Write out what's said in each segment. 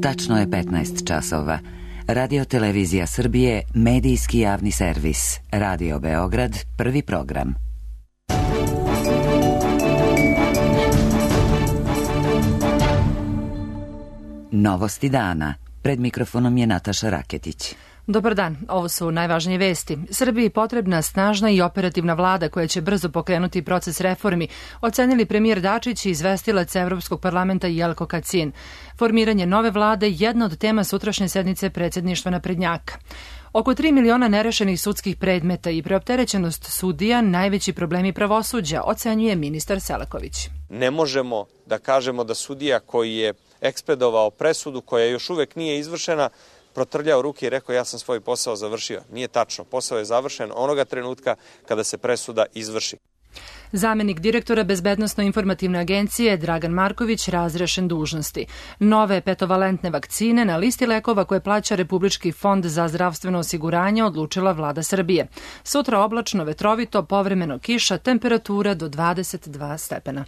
Tačno je 15 časova. Radio Televizija Srbije, medijski javni servis. Radio Beograd, prvi program. Novosti dana. Pred mikrofonom je Nataša Raketić. Dobar dan, ovo su najvažnije vesti. Srbiji potrebna snažna i operativna vlada koja će brzo pokrenuti proces reformi, ocenili premijer Dačić i izvestilac Evropskog parlamenta Jelko Kacin. Formiranje nove vlade jedna od tema sutrašnje sednice predsjedništva naprednjaka. Oko 3 miliona nerešenih sudskih predmeta i preopterećenost sudija najveći problemi pravosuđa, ocenjuje ministar Selaković. Ne možemo da kažemo da sudija koji je ekspedovao presudu koja još uvek nije izvršena protrljao ruke i rekao ja sam svoj posao završio. Nije tačno. Posao je završen onoga trenutka kada se presuda izvrši. Zamenik direktora Bezbednosno-informativne agencije Dragan Marković razrešen dužnosti. Nove petovalentne vakcine na listi lekova koje plaća Republički fond za zdravstveno osiguranje odlučila vlada Srbije. Sutra oblačno, vetrovito, povremeno kiša, temperatura do 22 stepena.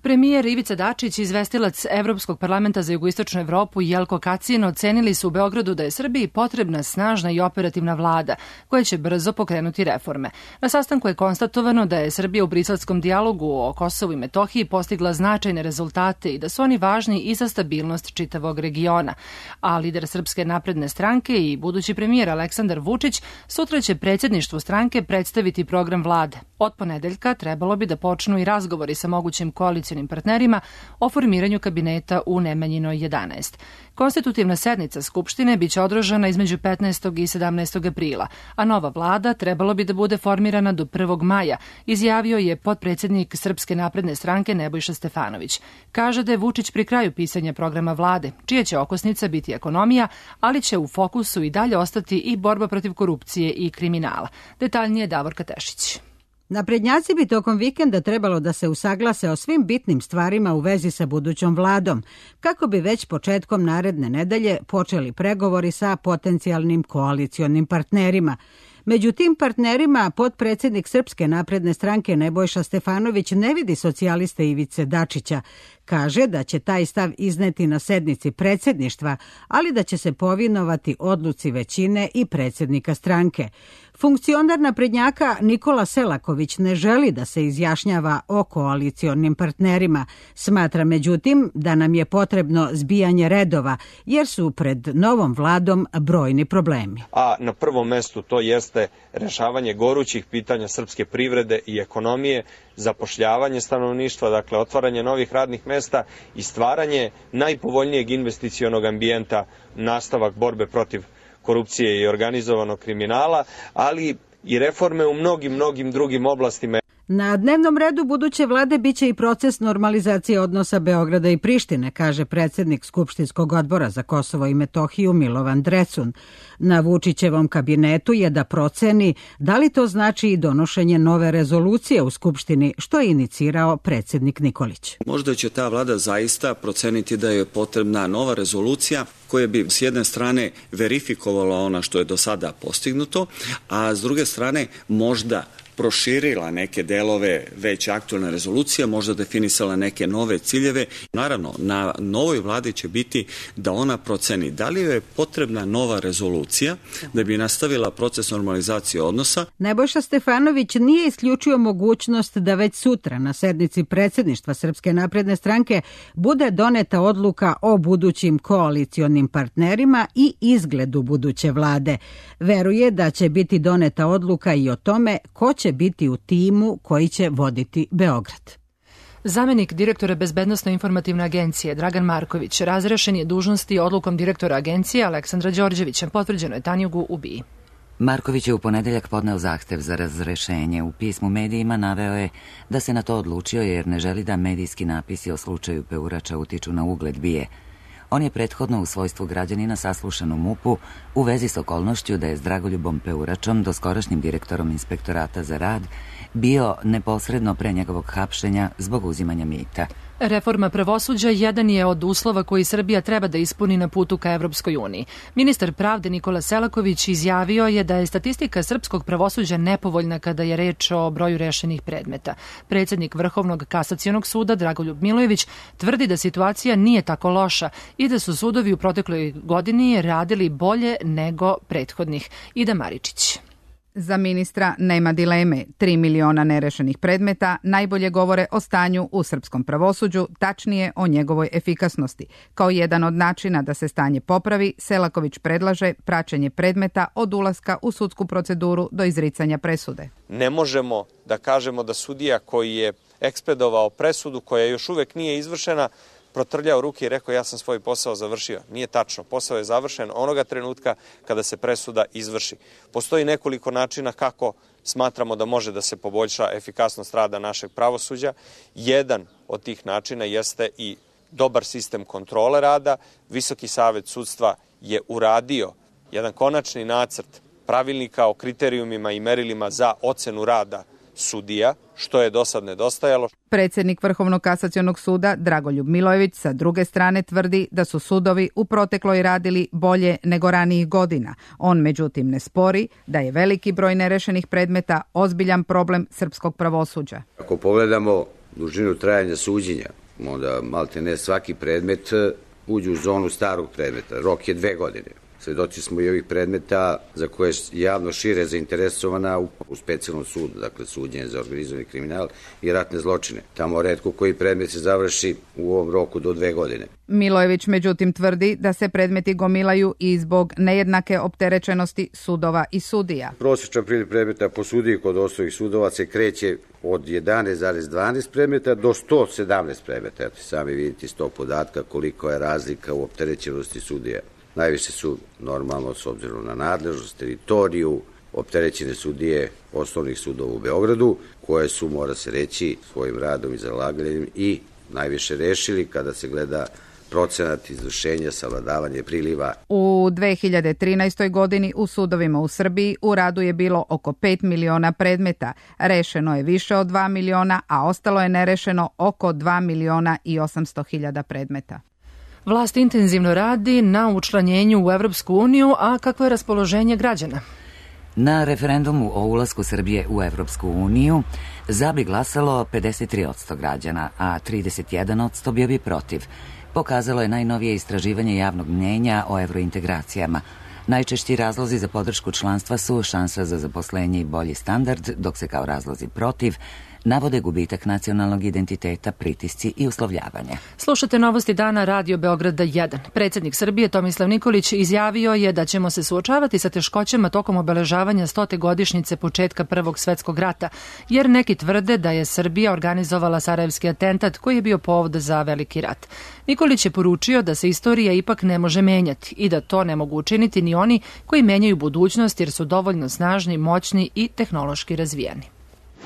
Premijer Ivica Dačić i izvestilac Evropskog parlamenta za jugoistočnu Evropu Jelko Kacin ocenili su u Beogradu da je Srbiji potrebna snažna i operativna vlada koja će brzo pokrenuti reforme. Na sastanku je konstatovano da je Srbija u briselskom dijalogu o Kosovu i Metohiji postigla značajne rezultate i da su oni važni i za stabilnost čitavog regiona. A lider Srpske napredne stranke i budući premijer Aleksandar Vučić sutra će predsjedništvu stranke predstaviti program vlade. Od ponedeljka trebalo bi da počnu i razgovori sa mogućim koalicijom partnerima o formiranju kabineta u Nemanjinoj 11. Konstitutivna sednica Skupštine biće održana između 15. i 17. aprila, a nova vlada trebalo bi da bude formirana do 1. maja, izjavio je potpredsjednik Srpske napredne stranke Nebojša Stefanović. Kaže da je Vučić pri kraju pisanja programa vlade, čija će okosnica biti ekonomija, ali će u fokusu i dalje ostati i borba protiv korupcije i kriminala. Detaljnije Davorka Tešić. Naprednjaci bi tokom vikenda trebalo da se usaglase o svim bitnim stvarima u vezi sa budućom vladom, kako bi već početkom naredne nedelje počeli pregovori sa potencijalnim koalicionim partnerima. Među tim partnerima potpredsjednik Srpske napredne stranke Nebojša Stefanović ne vidi socijaliste Ivice Dačića. Kaže da će taj stav izneti na sednici predsjedništva, ali da će se povinovati odluci većine i predsjednika stranke. Funkcionar naprednjaka Nikola Selaković ne želi da se izjašnjava o koalicionim partnerima. Smatra međutim da nam je potrebno zbijanje redova, jer su pred novom vladom brojni problemi. A na prvom mestu to jeste rešavanje gorućih pitanja srpske privrede i ekonomije, zapošljavanje stanovništva, dakle otvaranje novih radnih mesta i stvaranje najpovoljnijeg investicionog ambijenta, nastavak borbe protiv korupcije i organizovanog kriminala, ali i reforme u mnogim drugim oblastima. Na dnevnom redu buduće vlade biće i proces normalizacije odnosa Beograda i Prištine, kaže predsjednik Skupštinskog odbora za Kosovo i Metohiju Milovan Drecun. Na Vučićevom kabinetu je da proceni da li to znači i donošenje nove rezolucije u Skupštini, što je inicirao predsjednik Nikolić. Možda će ta vlada zaista proceniti da je potrebna nova rezolucija koja bi s jedne strane verifikovala ono što je do sada postignuto, a s druge strane možda proširila neke delove već aktualne rezolucije, možda definisala neke nove ciljeve. Naravno, na novoj vladi će biti da ona proceni da li je potrebna nova rezolucija da bi nastavila proces normalizacije odnosa. Nebojša Stefanović nije isključio mogućnost da već sutra na sednici predsjedništva Srpske napredne stranke bude doneta odluka o budućim koalicionim partnerima i izgledu buduće vlade. Veruje da će biti doneta odluka i o tome ko će biti u timu koji će voditi Beograd. Zamenik direktora Bezbednosno-informativne agencije Dragan Marković razrešen je dužnosti odlukom direktora agencije Aleksandra Đorđevića, potvrđeno je Tanjugu u BIA. Marković je u ponedeljak podneo zahtev za razrešenje. U pismu medijima naveo je da se na to odlučio jer ne želi da medijski napisi o slučaju Peurača utiču na ugled BIA. On je prethodno u svojstvu građanina saslušan u MUP-u u vezi s okolnošću da je s Dragoljubom Peuračom, doskorašnjim direktorom Inspektorata za rad, bio neposredno pre njegovog hapšenja zbog uzimanja mita. Reforma pravosuđa jedan je od uslova koji Srbija treba da ispuni na putu ka Evropskoj uniji. Ministar pravde Nikola Selaković izjavio je da je statistika srpskog pravosuđa nepovoljna kada je reč o broju rešenih predmeta. Predsjednik Vrhovnog kasacionog suda Dragoljub Milojević tvrdi da situacija nije tako loša i da su sudovi u protekloj godini radili bolje nego prethodnih. Ida Maričić. Za ministra nema dileme. 3 miliona nerešenih predmeta najbolje govore o stanju u srpskom pravosuđu, tačnije o njegovoj efikasnosti. Kao jedan od načina da se stanje popravi, Selaković predlaže praćenje predmeta od ulaska u sudsku proceduru do izricanja presude. Ne možemo da kažemo da sudija koji je ekspedovao presudu koja još uvek nije izvršena protrljao ruke i rekao ja sam svoj posao završio. Nije tačno. Posao je završen onoga trenutka kada se presuda izvrši. Postoji nekoliko načina kako smatramo da može da se poboljša efikasnost rada našeg pravosuđa. Jedan od tih načina jeste i dobar sistem kontrole rada. Visoki savet sudstva je uradio jedan konačni nacrt pravilnika o kriterijumima i merilima za ocenu rada sudija, što je do sad nedostajalo. Predsjednik Vrhovnog kasacionog suda Dragoljub Milojević sa druge strane tvrdi da su sudovi u protekloj radili bolje nego ranijih godina. On međutim ne spori da je veliki broj nerešenih predmeta ozbiljan problem srpskog pravosuđa. Ako pogledamo dužinu trajanja suđenja, onda malte ne svaki predmet uđe u zonu starog predmeta. Rok je 2 godine. Svedoci smo i ovih predmeta za koje je javno šire zainteresovana u specijalnom sudu, dakle suđenje za organizovani kriminal i ratne zločine. Tamo retko koji predmet se završi u ovom roku do 2 godine. Milojević međutim tvrdi da se predmeti gomilaju i zbog nejednake opterećenosti sudova i sudija. Prosječan priliv predmeta po sudiji kod osnovnih sudova se kreće od 11,12 predmeta do 117 predmeta. Eto, sami vidite iz tog podatka koliko je razlika u opterećenosti sudija. Najviše su normalno s obzirom na nadležnost, teritoriju, opterećene sudije osnovnih sudova u Beogradu, koje su, mora se reći, svojim radom i zalaganjem i najviše rešili kada se gleda procenat izvršenja, savladavanje priliva. U 2013. godini u sudovima u Srbiji u radu je bilo oko 5 miliona predmeta. Rešeno je više od 2 miliona, a ostalo je nerešeno oko 2 miliona i 800 hiljada predmeta. Vlast intenzivno radi na učlanjenju u Evropsku uniju, a kakvo je raspoloženje građana? Na referendumu o ulasku Srbije u Evropsku uniju za bi glasalo 53% građana, a 31% bio bi protiv. Pokazalo je najnovije istraživanje javnog mnjenja o evrointegracijama. Najčešći razlozi za podršku članstva su šansa za zaposlenje i bolji standard, dok se kao razlozi protiv navode gubitak nacionalnog identiteta, pritisci i uslovljavanje. Slušate Novosti dana Radio Beograda 1. Predsjednik Srbije Tomislav Nikolić izjavio je da ćemo se suočavati sa teškoćama tokom obeležavanja 100. godišnjice početka Prvog svetskog rata, jer neki tvrde da je Srbija organizovala sarajevski atentat koji je bio povod za veliki rat. Nikolić je poručio da se istorija ipak ne može menjati i da to ne mogu učiniti ni oni koji menjaju budućnost jer su dovoljno snažni, moćni i tehnološki razvijeni.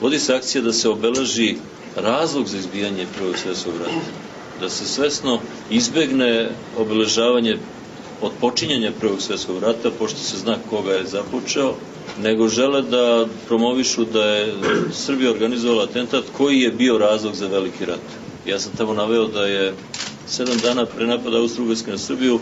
Vodi se akcija da se obeleži razlog za izbijanje Prvog svjetskog rata, da se svesno izbegne obeležavanje od počinjanja Prvog svjetskog rata, pošto se zna koga je započeo, nego žele da promovišu da je Srbija organizovala atentat koji je bio razlog za veliki rat. Ja sam tamo naveo da je 7 dana pre napada Austro-Ugarske na Srbiju,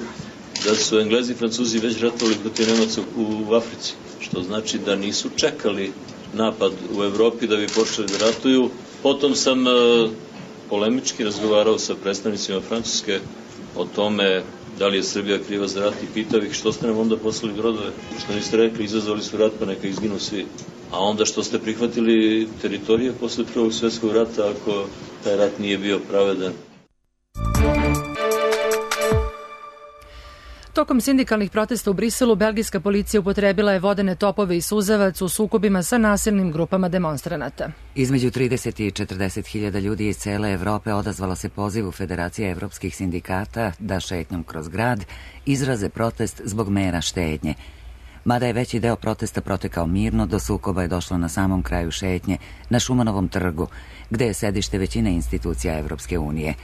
da su Englezi i Francuzi već ratovali protiv Nemaca u Africi, što znači da nisu čekali napad u Evropi da bi počeli da ratuju. Potom sam polemički razgovarao sa predstavnicima Francuske o tome da li je Srbija kriva za rat i pitao ih što ste nam onda poslali brodove, što niste rekli izazvali su rat pa neka izginu svi. A onda što ste prihvatili teritorije posle Prvog svjetskog rata ako taj rat nije bio pravedan. Tokom sindikalnih protesta u Briselu, belgijska policija upotrebila je vodene topove i suzavac u sukobima sa nasilnim grupama demonstranata. Između 30 i 40 hiljada ljudi iz cele Evrope odazvalo se pozivu Federacije evropskih sindikata da šetnjom kroz grad izraze protest zbog mera štednje. Mada je veći deo protesta protekao mirno, do sukoba je došlo na samom kraju šetnje, na Šumanovom trgu, gde je sedište većine institucija Evropske unije.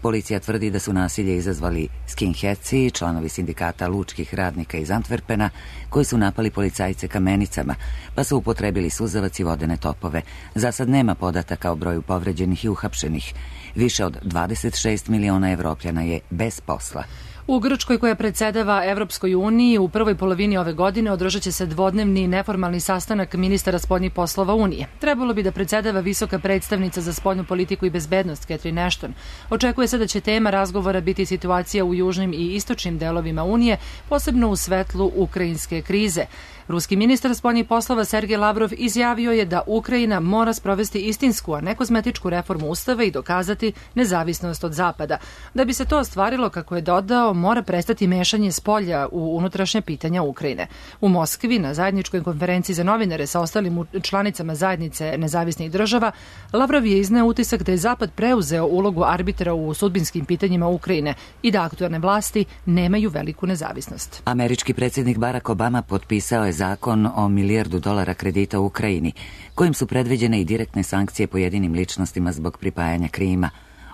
Policija tvrdi da su nasilje izazvali skinheadsi, članovi sindikata lučkih radnika iz Antwerpena, koji su napali policajce kamenicama, pa su upotrebili suzavac i vodene topove. Za sad nema podataka o broju povređenih i uhapšenih. Više od 26 miliona Evropljana je bez posla. U Grčkoj, koja predsedava Evropskoj uniji, u prvoj polovini ove godine održat će se dvodnevni neformalni sastanak ministara spoljnih poslova Unije. Trebalo bi da predsedava visoka predstavnica za spoljnu politiku i bezbednost Catherine Ashton. Očekuje se da će tema razgovora biti situacija u južnim i istočnim delovima Unije, posebno u svetlu ukrajinske krize. Ruski ministar spoljnih poslova Sergej Lavrov izjavio je da Ukrajina mora sprovesti istinsku, a ne kozmetičku reformu ustava i dokazati nezavisnost od Zapada. Da bi se to ostvarilo, kako je dodao, mora prestati mešanje spolja u unutrašnje pitanja Ukrajine. U Moskvi, na zajedničkoj konferenciji za novinare sa ostalim članicama zajednice nezavisnih država, Lavrov je izneo utisak da je Zapad preuzeo ulogu arbitra u sudbinskim pitanjima Ukrajine i da aktuelne vlasti nemaju veliku nezavisnost. Američki predsjednik Barack Obama potpisao je zakon o $1 milijardu kredita u Ukrajini, kojim su predviđene i direktne sankcije pojedinim ličnostima zbog pripajanja Krima.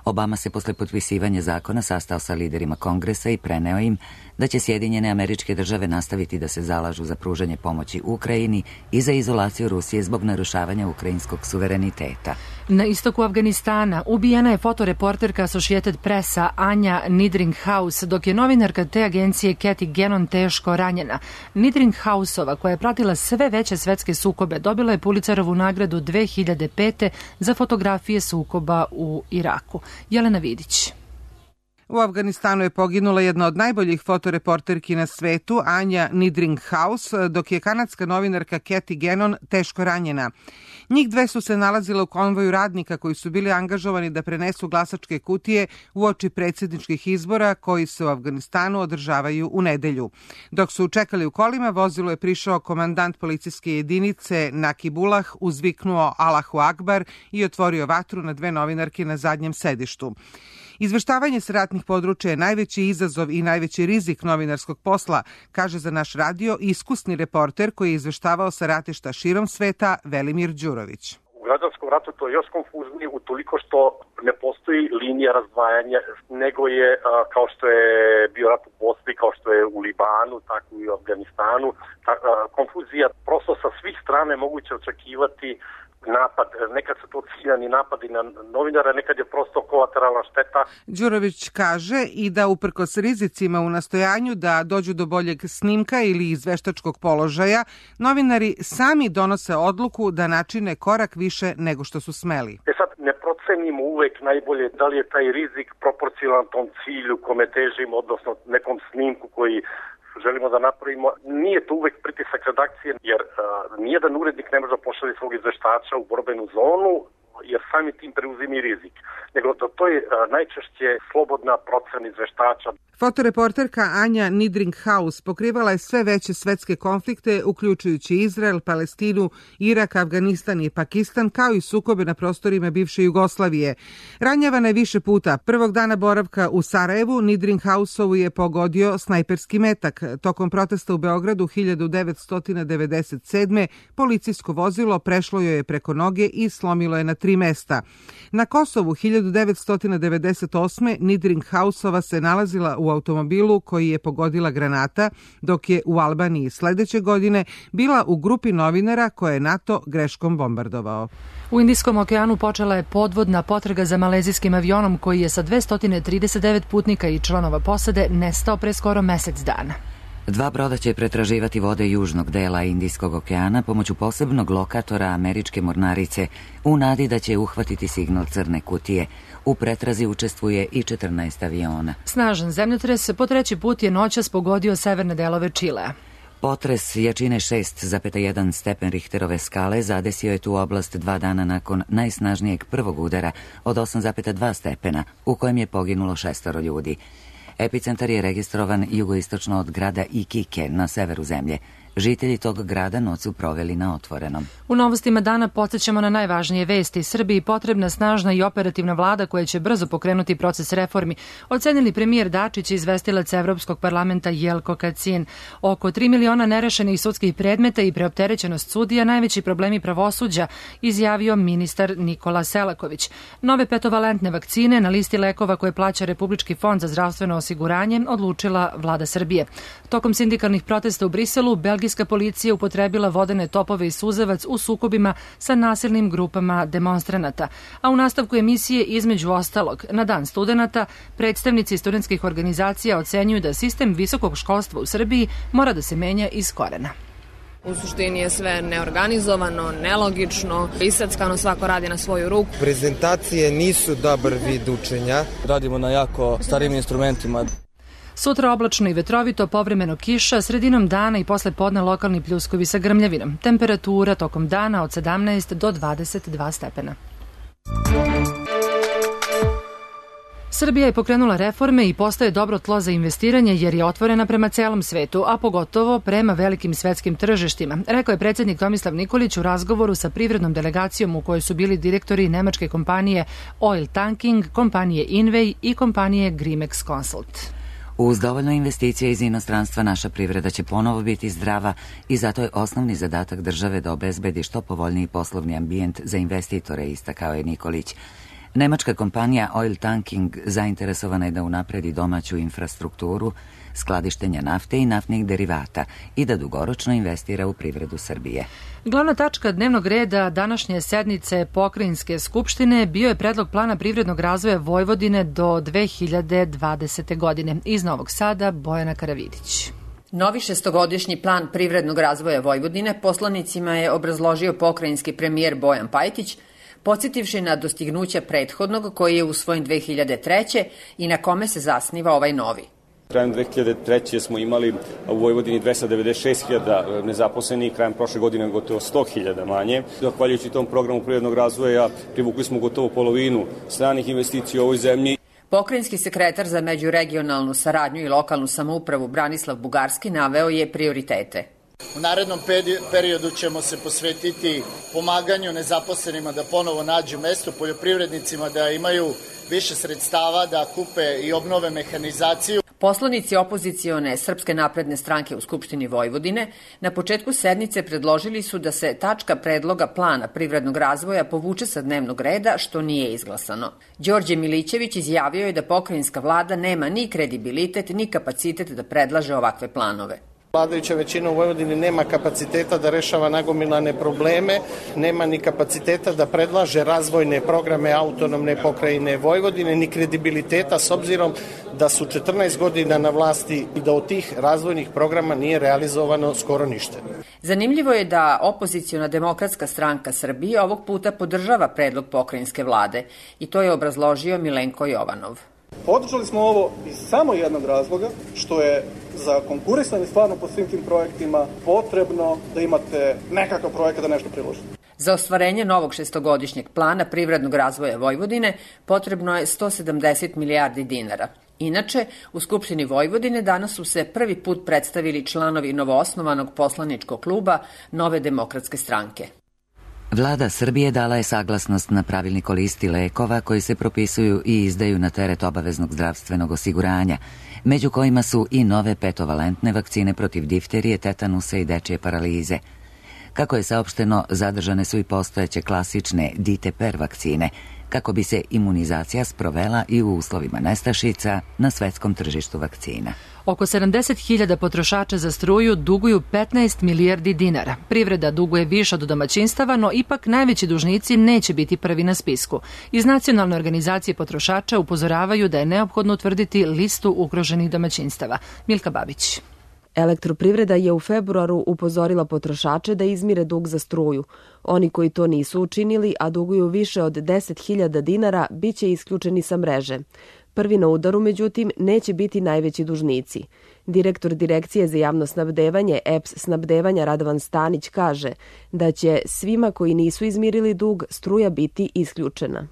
Obama se posle potpisivanja zakona sastao sa liderima Kongresa i preneo im da će Sjedinjene Američke Države nastaviti da se zalažu za pružanje pomoći Ukrajini i za izolaciju Rusije zbog narušavanja ukrajinskog suvereniteta. Na istoku Afganistana ubijena je fotoreporterka Associated Pressa Anja Niedringhaus, dok je novinarka te agencije Cathy Gannon teško ranjena. Niedringhausova, koja je pratila sve veće svetske sukobe, dobila je Pulitzerovu nagradu 2005. za fotografije sukoba u Iraku. Jelena Vidić. U Afganistanu je poginula jedna od najboljih fotoreporterki na svetu, Anja Niedringhaus, dok je kanadska novinarka Cathy Gannon teško ranjena. Njih dve su se nalazile u konvoju radnika koji su bili angažovani da prenesu glasačke kutije uoči predsjedničkih izbora koji se u Afganistanu održavaju u nedelju. Dok su čekali u kolima, vozilo je prišao komandant policijske jedinice Nakibullah, uzviknuo Allahu Akbar i otvorio vatru na dve novinarke na zadnjem sedištu. Izveštavanje sa ratnih područja je najveći izazov i najveći rizik novinarskog posla, kaže za naš radio iskusni reporter koji je izveštavao sa ratišta širom sveta Velimir Đurović. U građanskom ratu to je još konfuznije utoliko što ne postoji linija razdvajanja, nego je, kao što je bio rat u Bosni, kao što je u Libanu, tako i u Afganistanu, konfuzija prosto sa svih strane moguće očekivati napad, nekad su to ciljani napadi na novinara, nekad je prosto kolateralna šteta. Đurović kaže i da uprkos rizicima u nastojanju da dođu do boljeg snimka ili izveštačkog položaja, novinari sami donose odluku da načine korak više nego što su smeli. Sad ne procenimo uvek najbolje da li je taj rizik proporcionalan tom cilju kome težimo, odnosno nekom snimku koji želimo da napravimo. Nije to uvek pritisak redakcije, jer nijedan urednik ne može da pošalje svog izveštača u borbenu zonu, jer sami tim preuzimi rizik. Nego to je najčešće slobodna procena izveštača. Fotoreporterka Anja Niedringhaus pokrivala je sve veće svetske konflikte, uključujući Izrael, Palestinu, Irak, Afganistan i Pakistan, kao i sukobe na prostorima bivše Jugoslavije. Ranjavana je više puta. Prvog dana boravka u Sarajevu Niedringhausovu je pogodio snajperski metak. Tokom protesta u Beogradu 1997. policijsko vozilo prešlo joj je preko noge i slomilo je na 3 mesta. Na Kosovu 1998. Niedringhausova se nalazila u automobilu koji je pogodila granata, dok je u Albaniji sledeće godine bila u grupi novinara koje je NATO greškom bombardovao. U Indijskom okeanu počela je podvodna potraga za malezijskim avionom koji je sa 239 putnika i članova posade nestao pre skoro mesec dana. 2 broda će pretraživati vode južnog dela Indijskog okeana pomoću posebnog lokatora američke mornarice u nadi da će uhvatiti signal crne kutije. U pretrazi učestvuje i 14 aviona. Snažan zemljotres po 3. put je noćas pogodio severne delove Čilea. Potres jačine 6,1 stepen Richterove skale zadesio je tu oblast 2 dana nakon najsnažnijeg prvog udara od 8,2 stepena, u kojem je poginulo 6 ljudi. Epicentar je registrovan jugoistočno od grada Iquique na severu zemlje. Žitelji tog grada noć su proveli na otvorenom. U novostima dana podsjećamo na najvažnije vesti. Srbiji potrebna snažna i operativna vlada koja će brzo pokrenuti proces reformi, ocenili premijer Dačić i izvestilac Evropskog parlamenta Jelko Kacin. Oko 3 miliona nerešenih sudskih predmeta i preopterećenost sudija najveći problemi pravosuđa, izjavio ministar Nikola Selaković. Nove petovalentne vakcine na listi lekova koje plaća Republički fond za zdravstveno osiguranje odlučila vlada Srbije. Tokom sindikalnih protesta u Briselu, belgijska policija upotrebila vodene topove i suzavac u sukobima sa nasilnim grupama demonstranata. A u nastavku emisije, između ostalog, na Dan studenata, predstavnici studentskih organizacija ocenjuju da sistem visokog školstva u Srbiji mora da se menja iz korena. U suštini je sve neorganizovano, nelogično, isackano, svako radi na svoju ruku. Prezentacije nisu dobar vid učenja. Radimo na jako starim instrumentima. Sutra oblačno i vetrovito, povremeno kiša, sredinom dana i posle podne lokalni pljuskovi sa grmljavinom. Temperatura tokom dana od 17 do 22 stepena. Srbija je pokrenula reforme i postaje dobro tlo za investiranje jer je otvorena prema celom svetu, a pogotovo prema velikim svetskim tržištima, rekao je predsjednik Tomislav Nikolić u razgovoru sa privrednom delegacijom u kojoj su bili direktori nemačke kompanije Oil Tanking, kompanije Inway i kompanije Grimex Consult. Uz dovoljno investicije iz inostranstva naša privreda će ponovo biti zdrava i zato je osnovni zadatak države da obezbedi što povoljniji poslovni ambijent za investitore, istakao je Nikolić. Nemačka kompanija Oil Tanking zainteresovana je da unapredi domaću infrastrukturu, skladištenja nafte i naftnih derivata i da dugoročno investira u privredu Srbije. Glavna tačka dnevnog reda današnje sednice Pokrajinske skupštine bio je predlog plana privrednog razvoja Vojvodine do 2020. godine. Iz Novog Sada, Bojana Karavidić. Novi šestogodišnji plan privrednog razvoja Vojvodine poslanicima je obrazložio pokrajinski premijer Bojan Pajtić, podsjetivši na dostignuća prethodnog koji je usvojen 2003. i na kome se zasniva ovaj novi. Krajem 2003. smo imali u Vojvodini 296.000 nezaposlenih, krajem prošle godine gotovo 100.000 manje. Zahvaljujući tom programu privrednog razvoja privukli smo gotovo polovinu stranih investicija u ovoj zemlji. Pokrajinski sekretar za međuregionalnu saradnju i lokalnu samoupravu Branislav Bugarski naveo je prioritete. U narednom periodu ćemo se posvetiti pomaganju nezaposlenima da ponovo nađu mesto, poljoprivrednicima da imaju više sredstava, da kupe i obnove mehanizaciju. Poslanici opozicione Srpske napredne stranke u Skupštini Vojvodine na početku sednice predložili su da se tačka predloga plana privrednog razvoja povuče sa dnevnog reda, što nije izglasano. Đorđe Milićević izjavio je da pokrajinska vlada nema ni kredibilitet ni kapacitet da predlaže ovakve planove. Vladajuća većina u Vojvodini nema kapaciteta da rešava nagomilane probleme, nema ni kapaciteta da predlaže razvojne programe autonomne pokrajine Vojvodine, ni kredibiliteta s obzirom da su 14 godina na vlasti i da od tih razvojnih programa nije realizovano skoro ništa. Zanimljivo je da opoziciona Demokratska stranka Srbije ovog puta podržava predlog pokrajinske vlade i to je obrazložio Milenko Jovanov. Podržali smo ovo iz samo jednog razloga, što je za konkurisanje stvarno po svim tim projektima potrebno da imate nekakav projekat da nešto priložite. Za ostvarenje novog šestogodišnjeg plana privrednog razvoja Vojvodine potrebno je 170 milijardi dinara. Inače, u Skupštini Vojvodine danas su se prvi put predstavili članovi novoosnovanog poslaničkog kluba Nove demokratske stranke. Vlada Srbije dala je saglasnost na pravilnik o listi lekova koji se propisuju i izdaju na teret obaveznog zdravstvenog osiguranja, među kojima su i nove petovalentne vakcine protiv difterije, tetanusa i dečije paralize. Kako je saopšteno, zadržane su i postojeće klasične DTPR vakcine, kako bi se imunizacija sprovela i u uslovima nestašica na svetskom tržištu vakcina. Oko 70.000 potrošača za struju duguju 15 milijardi dinara. Privreda duguje više od domaćinstava, no ipak najveći dužnici neće biti prvi na spisku. Iz Nacionalne organizacije potrošača upozoravaju da je neophodno utvrditi listu ugroženih domaćinstava. Milka Babić. Elektroprivreda je u februaru upozorila potrošače da izmire dug za struju. Oni koji to nisu učinili, a duguju više od 10.000 dinara, bit će isključeni sa mreže. Prvi na udaru, međutim, neće biti najveći dužnici. Direktor Direkcije za javno snabdevanje EPS snabdevanja Radovan Stanić kaže da će svima koji nisu izmirili dug struja biti isključena.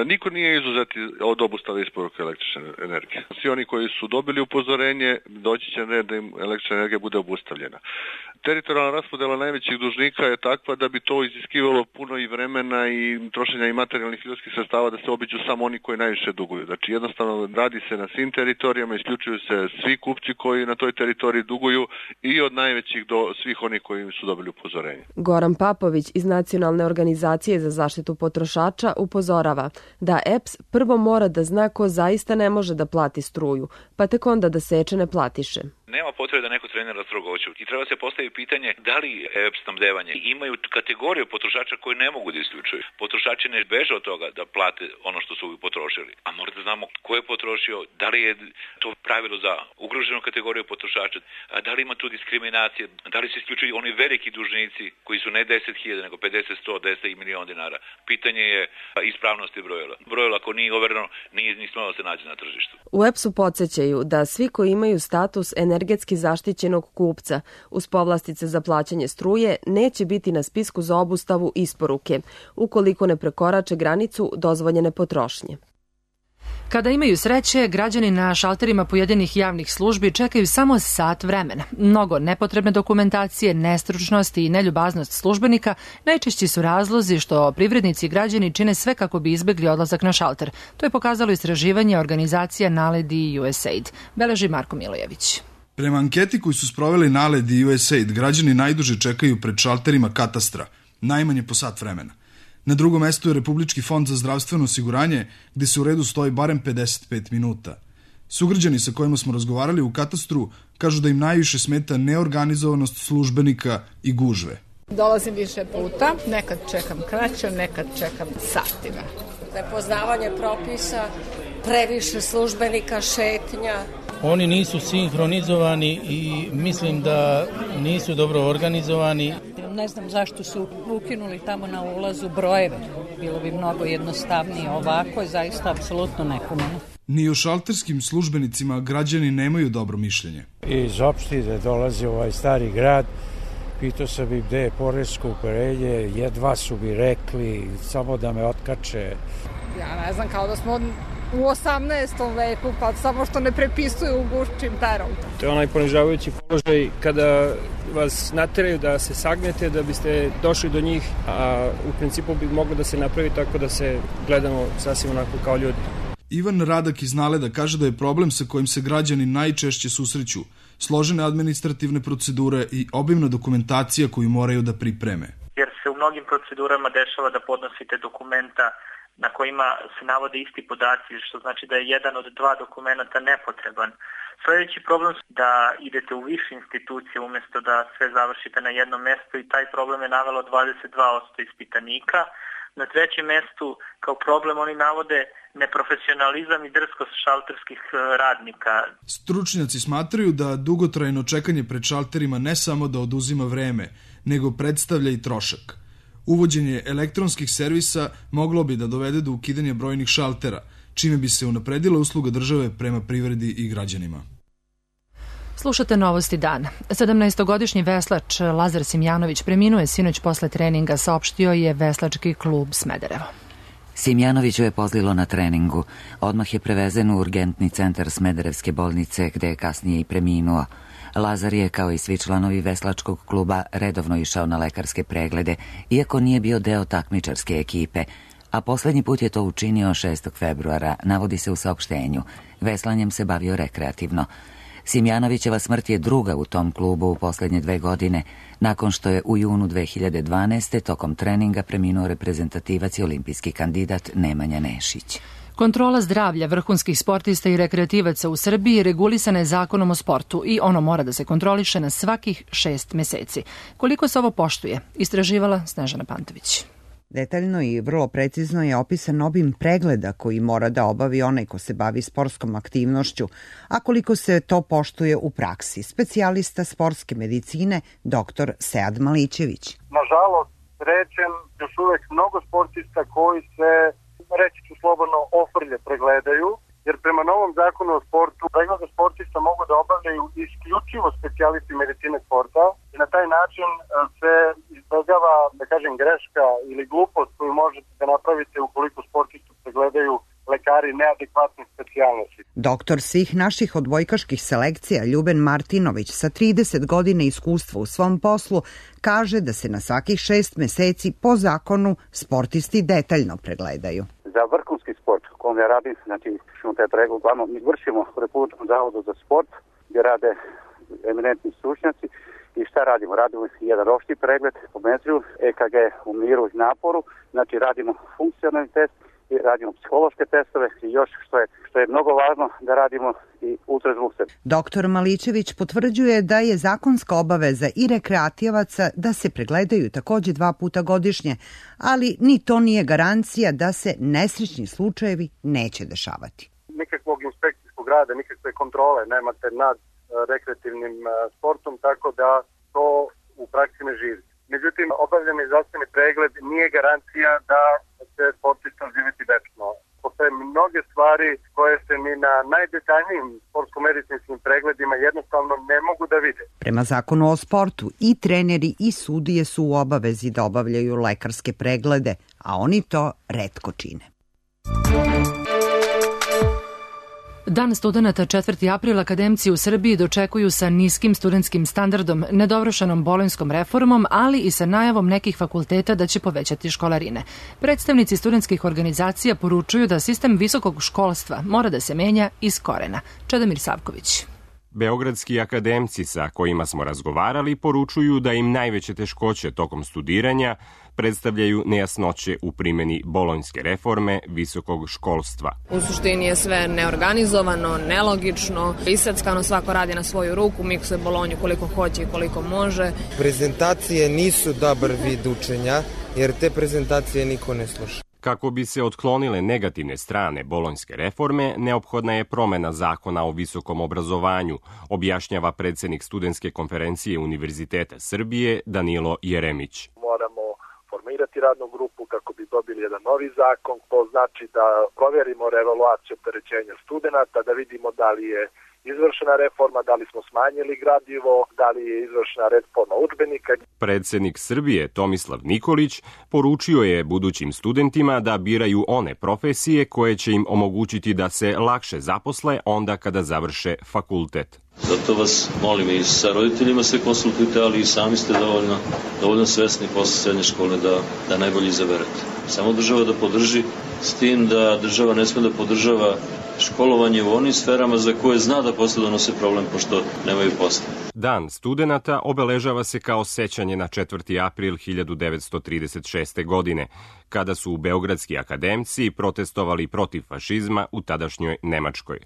Niko nije izuzet od obustave isporuke električne energije. Svi oni koji su dobili upozorenje, doći će red da im električna energija bude obustavljena. teritorijalna raspodela najvećih dužnika je takva da bi to iziskivalo puno i vremena i trošenja i materijalnih ljudskih sredstava da se obiđu samo oni koji najviše duguju. Znači jednostavno radi se na svim teritorijama, isključuju se svi kupci koji na toj teritoriji duguju i od najvećih do svih onih koji su dobili upozorenje. Goran Papović iz Nacionalne organizacije za zaštitu potrošača upozorava da EPS prvo mora da zna ko zaista ne može da plati struju, pa tek onda da seče neplatiše. Nema potrebe da neko trenira strogoću i treba se postaviti pitanje da li EPS snabdevanje imaju kategoriju potrošača koji ne mogu da isključuju. Potrošači ne beže od toga da plate ono što su potrošili, a mora da znamo ko je potrošio, da li je to pravilo za ugroženu kategoriju potrošača, da li ima tu diskriminacije, da li se isključuju oni veliki dužnici koji su ne 10.000 nego 50, 100, 10 i milion dinara. Pitanje je ispravnosti brojila. Brojila ako nije overeno, nije ni smelo da se nađe na tržištu. U EPS-u podsjećaju da svi koji imaju status energetski zaštićenog kupca uz povlastice za plaćanje struje neće biti na spisku za obustavu isporuke, ukoliko ne prekorače granicu dozvoljene potrošnje. Kada imaju sreće, građani na šalterima pojedinih javnih službi čekaju samo sat vremena. Mnogo nepotrebne dokumentacije, nestručnosti i neljubaznost službenika najčešći su razlozi što privrednici i građani čine sve kako bi izbegli odlazak na šalter. To je pokazalo istraživanje organizacija NALED i USAID. Beleži Marko Milojević. Prema anketi koju su sproveli NALED i USAID, građani najduže čekaju pred šalterima katastra, najmanje po sat vremena. Na drugom mestu je Republički fond za zdravstveno osiguranje, gde se u redu stoji barem 55 minuta. Sugrađani sa kojima smo razgovarali u katastru kažu da im najviše smeta neorganizovanost službenika i gužve. Dolazim više puta, nekad čekam kraće, nekad čekam satima. Nepoznavanje propisa, previše službenika, šetnja. Oni nisu sinhronizovani i mislim da nisu dobro organizovani. Ne znam zašto su ukinuli tamo na ulazu brojeve. Bilo bi mnogo jednostavnije. Ovako je zaista apsolutno nekomano. Ni o šalterskim službenicima građani nemaju dobro mišljenje. Iz opštine dolazi ovaj stari grad. Pitao sam im gde je poresko upoređenje, jedva su mi rekli samo da me otkače. Ja ne znam, kao da smo u 18. veku, pa samo što ne prepisuju u gušćim perom. To je onaj ponižavajući položaj kada vas nateraju da se sagnete da biste došli do njih, a u principu bi moglo da se napravi tako da se gledamo sasvim onako kao ljudi. Ivan Radak iz Naleda kaže da je problem sa kojim se građani najčešće susreću složene administrativne procedure i obimna dokumentacija koju moraju da pripreme. Jer se u mnogim procedurama dešava da podnosite dokumenta na kojima se navode isti podaci, što znači da je jedan od dva dokumenta nepotreban. Sledeći problem je da idete u više institucije umjesto da sve završite na jednom mestu i taj problem je navelo 22% ispitanika. Na trećem mestu kao problem oni navode neprofesionalizam i drskost šalterskih radnika. Stručnjaci smatraju da dugotrajno čekanje pred šalterima ne samo da oduzima vreme, nego predstavlja i trošak. Uvođenje elektronskih servisa moglo bi da dovede do ukidanja brojnih šaltera, čime bi se unapredila usluga države prema privredi i građanima. Slušate Novosti dana. 17-godišnji veslač Lazar Simjanović preminuo je sinoć posle treninga, saopštio je Veslački klub Smederevo. Simjanoviću je pozlilo na treningu. Odmah je prevezen u urgentni centar Smederevske bolnice, gde je kasnije i preminuo. Lazar je, kao i svi članovi veslačkog kluba, redovno išao na lekarske preglede, iako nije bio deo takmičarske ekipe, a poslednji put je to učinio 6. februara, navodi se u saopštenju. Veslanjem se bavio rekreativno. Simjanovićeva smrt je druga u tom klubu u poslednje 2 godine, nakon što je u junu 2012. tokom treninga preminuo reprezentativac i olimpijski kandidat Nemanja Nešić. Kontrola zdravlja vrhunskih sportista i rekreativaca u Srbiji regulisana je zakonom o sportu i ono mora da se kontroliše na svakih 6 meseci. Koliko se ovo poštuje, istraživala Snežana Pantović. Detaljno i vrlo precizno je opisan obim pregleda koji mora da obavi onaj ko se bavi sportskom aktivnošću, a koliko se to poštuje u praksi. Specijalista sportske medicine, dr. Sead Malićević. Nažalost, rečem, još uvek mnogo sportista koji se, reći ću slobodno, ofrlje pregledaju, jer prema novom zakonu o sportu preglede sportista mogu da obavljaju isključivo specijalisti medicine sporta i na taj način se izbegava, da kažem, greška ili glupost koju možete da napravite ukoliko sportistu pregledaju lekari lekari neadekvatnih specijalnosti. Doktor svih naših odbojkaških selekcija Ljuben Martinović sa 30 godina iskustva u svom poslu kaže da se na svakih 6 meseci po zakonu sportisti detaljno pregledaju. Za vrhunski sport u kojem ja radim, znači što taj pregled uglavnom mi vršimo u Republičkom zavodu za sport gdje rade eminentni stručnjaci. I šta radimo? Radimo jedan opšti pregled po metriju, EKG u miru i naporu, znači radimo funkcionalni test i radimo psihološke testove i još što je mnogo važno da radimo i ultrazvuk. Doktor Malićević potvrđuje da je zakonska obaveza i rekreativaca da se pregledaju takođe 2 puta godišnje, ali ni to nije garancija da se nesrećni slučajevi neće dešavati. Nikakvog inspekcijskog rada, nikakve kontrole nemate nad rekreativnim sportom, tako da to u praksi ne živi. Međutim, obavljeni zdravstveni pregled nije garancija da će sportista živjeti večno. Postoje mnoge stvari koje se ni na najdetaljnijim sportsko-medicinskim pregledima jednostavno ne mogu da vide. Prema zakonu o sportu i treneri i sudije su u obavezi da obavljaju lekarske preglede, a oni to retko čine. Dan studenata 4. april akademci u Srbiji dočekuju sa niskim studentskim standardom, nedovršenom bolonjskom reformom, ali i sa najavom nekih fakulteta da će povećati školarine. Predstavnici studentskih organizacija poručuju da sistem visokog školstva mora da se menja iz korena. Čedomir Savković. Beogradski akademci sa kojima smo razgovarali poručuju da im najveće teškoće tokom studiranja predstavljaju nejasnoće u primjeni bolonjske reforme visokog školstva. U suštini je sve neorganizovano, nelogično, iseckano, svako radi na svoju ruku, miksuje bolonju koliko hoće i koliko može. Prezentacije nisu dobar vid učenja, jer te prezentacije niko ne sluša. Kako bi se otklonile negativne strane bolonjske reforme, neophodna je promena zakona o visokom obrazovanju, objašnjava predsednik Studentske konferencije Univerziteta Srbije Danilo Jeremić. Moramo formirati radnu grupu kako bi dobili jedan novi zakon, to znači da proverimo revaluaciju opterećenja studenta, da vidimo da li je izvršena reforma, da li smo smanjili gradivo, da li je izvršena reforma udžbenika. Predsednik Srbije Tomislav Nikolić poručio je budućim studentima da biraju one profesije koje će im omogućiti da se lakše zaposle onda kada završe fakultet. Zato vas molim i sa roditeljima se konsultujte, ali i sami ste dovoljno svesni posle srednje škole da najbolje izaberete. Samo država da podrži, s tim da država ne sme da podržava školovanje u onim sferama za koje zna da posle donose problem, pošto nemaju posla. Dan studenata obeležava se kao sećanje na 4. april 1936. godine, kada su beogradski akademci protestovali protiv fašizma u tadašnjoj Nemačkoj.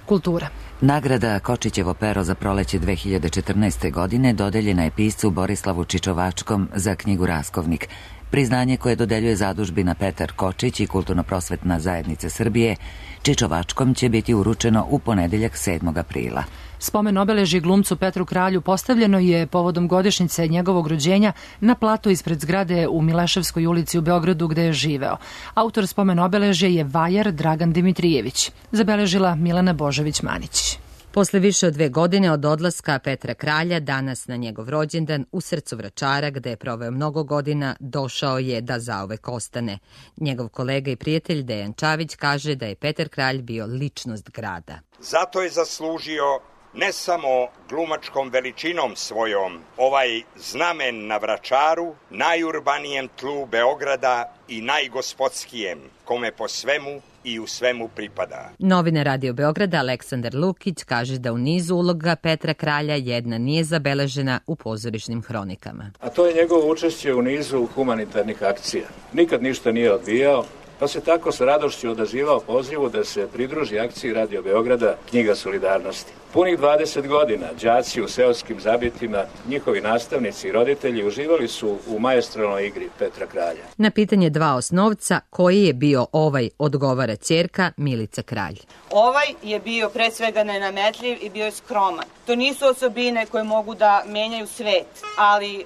Kultura. Nagrada Kočićevo pero za proleće 2014. godine dodeljena je piscu Borislavu Čičovačkom za knjigu Raskovnik. Priznanje koje dodeljuje zadužbina Petar Kočić i Kulturno-prosvetna zajednica Srbije Čičovačkom će biti uručeno u ponedeljak 7. aprila. Spomen obeležje glumcu Petru Kralju postavljeno je povodom godišnjice njegovog rođenja na platu ispred zgrade u Mileševskoj ulici u Beogradu gde je živeo. Autor spomen obeležja je vajar Dragan Dimitrijević. Zabeležila Milana Božović-Manić. Posle više od 2 godine od odlaska Petra Kralja, danas na njegov rođendan u srcu Vračara, gde je proveo mnogo godina, došao je da zauvek ostane. Njegov kolega i prijatelj Dejan Čavić kaže da je Petar Kralj bio ličnost grada. Zato je zaslužio ne samo glumačkom veličinom svojom ovaj znamen na Vračaru, najurbanijem tlu Beograda i najgospodskijem, kome po svemu i u svemu pripada. Novinar Radio Beograda Aleksandar Lukić kaže da u nizu uloga Petra Kralja jedna nije zabeležena u pozorišnim hronikama. A to je njegovo učešće u nizu humanitarnih akcija. Nikad ništa nije odbijao, pa se tako sa radošću odazivao pozivu da se pridruži akciji Radio Beograda Knjiga solidarnosti. Punih 20 godina đaci u seoskim zabitima, njihovi nastavnici i roditelji uživali su u maestralnoj igri Petra Kralja. Na pitanje 2 osnovca koji je bio ovaj, odgovara ćerka Milica Kralj. Ovaj je bio pre svega nenametljiv i bio je skroman. To nisu osobine koje mogu da menjaju svet, ali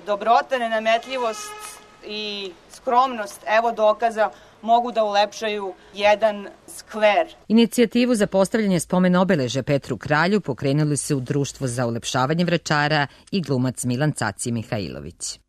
dobrota, nenametljivost i skromnost, evo dokaza, mogu da ulepšaju jedan skver. Inicijativu za postavljanje spomen obeležja Petru Kralju pokrenuli su u Društvo za ulepšavanje Vračara i glumac Milan Caci Mihajlović.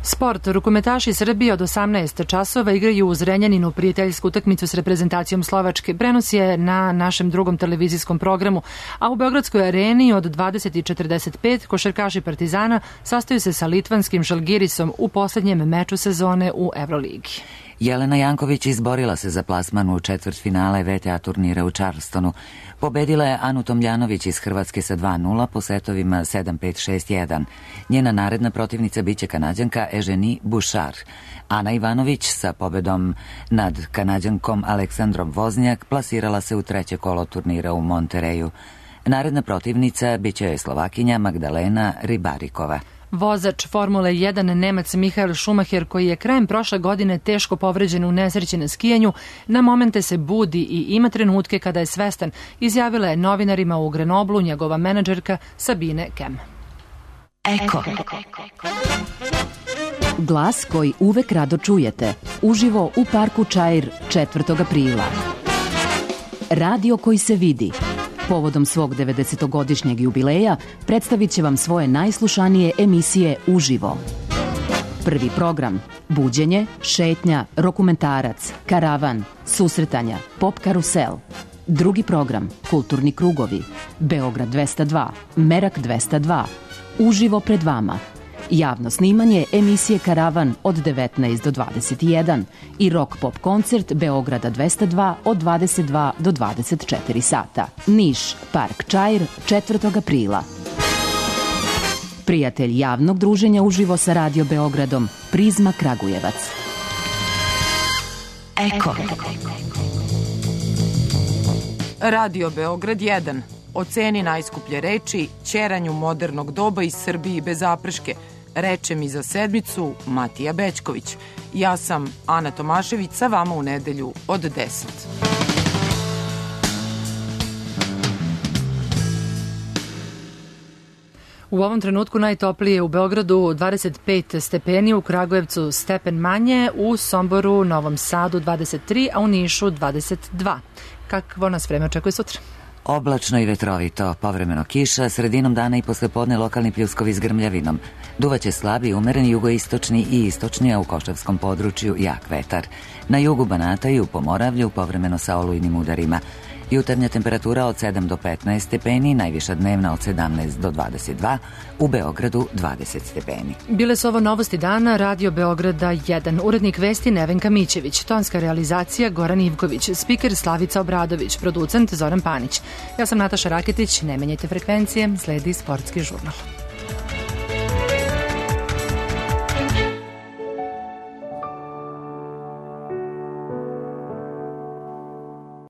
Sport. Rukometaši Srbije od 18 časova igraju u Zrenjaninu prijateljsku utakmicu s reprezentacijom Slovačke. Prenos je na našem drugom televizijskom programu, a u Beogradskoj areni od 20:45 košarkaši Partizana sastaju se sa litvanskim Žalgirisom u poslednjem meču sezone u Evroligi. Jelena Janković izborila se za plasman u četvrtfinale VTA turnira u Charlestonu. Pobedila je Anu Tomljanović iz Hrvatske sa 2:0 po setovima 7-5, 6-1. Njena naredna protivnica biće Kanađanka Eugenie Bouchard. Ana Ivanović sa pobedom nad Kanađankom Aleksandrom Voznjak plasirala se u treće kolo turnira u Montereju. Naredna protivnica biće Slovakinja Magdalena Ribarikova. Vozač Formule 1 Nemac Michael Schumacher, koji je krajem prošle godine teško povređen u nesreći na skijanju, na momente se budi i ima trenutke kada je svestan, izjavila je novinarima u Grenoblu njegova menadžerka Sabine Kem. Eko. Glas koji uvek rado čujete, uživo u parku Čair 4. aprila. Radio koji se vidi. Povodom svog 90-godišnjeg jubileja predstavit će vam svoje najslušanije emisije uživo. Prvi program: buđenje, šetnja, dokumentarac, karavan, susretanja, pop karusel. Drugi program: kulturni krugovi, Beograd 202, Merak 202, uživo pred vama. Javno snimanje emisije Karavan od 19 do 21 i rock pop koncert Beograda 202 od 22 do 24 sata. Niš, Park Čair, 4. aprila. Prijatelj javnog druženja uživo sa Radio Beogradom, Prizma Kragujevac. Eko. Radio Beograd 1. O ceni najskuplje reči, ćeranju modernog doba iz Srbiji bez zaprške. Reče mi za sedmicu Matija Bećković. Ja sam Ana Tomašević, sa vama u nedelju od 10. U ovom trenutku najtoplije u Beogradu 25 stepeni, u Kragujevcu stepen manje, u Somboru, Novom Sadu 23, a u Nišu 22. Kakvo nas vreme očekuje sutra? Oblačno i vetrovito, povremeno kiša, sredinom dana i poslepodne lokalni pljuskovi s grmljavinom. Duvaće slabi, umereni jugoistočni i istočni, a u Košavskom području jak vetar. Na jugu Banata i u Pomoravlju povremeno sa olujnim udarima. Jutarnja temperatura od 7 do 15 stepeni, najviša dnevna od 17 do 22, u Beogradu 20 stepeni. Bile su ovo novosti dana Radio Beograda 1. Urednik vesti Nevenka Mićević, tonska realizacija Goran Ivković, spiker Slavica Obradović, producent Zoran Panić. Ja sam Nataša Raketić, ne menjajte frekvencije, sledi sportski žurnal.